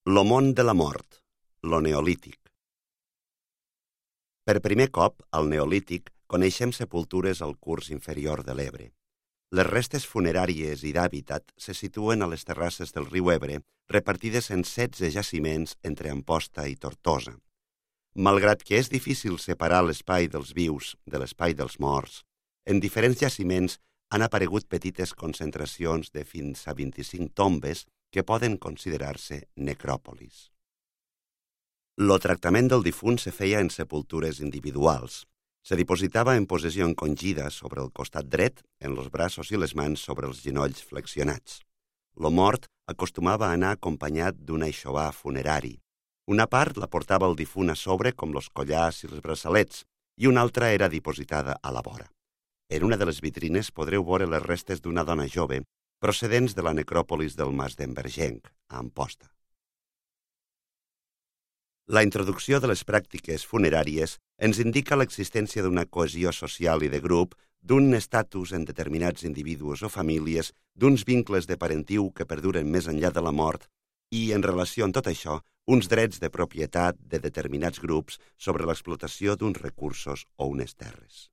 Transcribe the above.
Lo món de la mort, lo neolític. Per primer cop, al neolític, coneixem sepultures al curs inferior de l'Ebre. Les restes funeràries i d'hàbitat se situen a les terrasses del riu Ebre, repartides en 16 jaciments entre Amposta i Tortosa. Malgrat que és difícil separar l'espai dels vius de l'espai dels morts, en diferents jaciments han aparegut petites concentracions de fins a 25 tombes que poden considerar-se necròpolis. Lo tractament del difunt se feia en sepultures individuals. Se dipositava en posició encongida sobre el costat dret, en els braços i les mans sobre els genolls flexionats. Lo mort acostumava a anar acompanyat d'un aixovar funerari. Una part la portava el difunt a sobre, com los collars i els braçalets, i una altra era dipositada a la vora. En una de les vitrines podreu veure les restes d'una dona jove procedents de la necròpolis del Mas d'Envergenc, a Amposta. La introducció de les pràctiques funeràries ens indica l'existència d'una cohesió social i de grup, d'un estatus en determinats individus o famílies, d'uns vincles de parentiu que perduren més enllà de la mort i, en relació amb tot això, uns drets de propietat de determinats grups sobre l'explotació d'uns recursos o unes terres.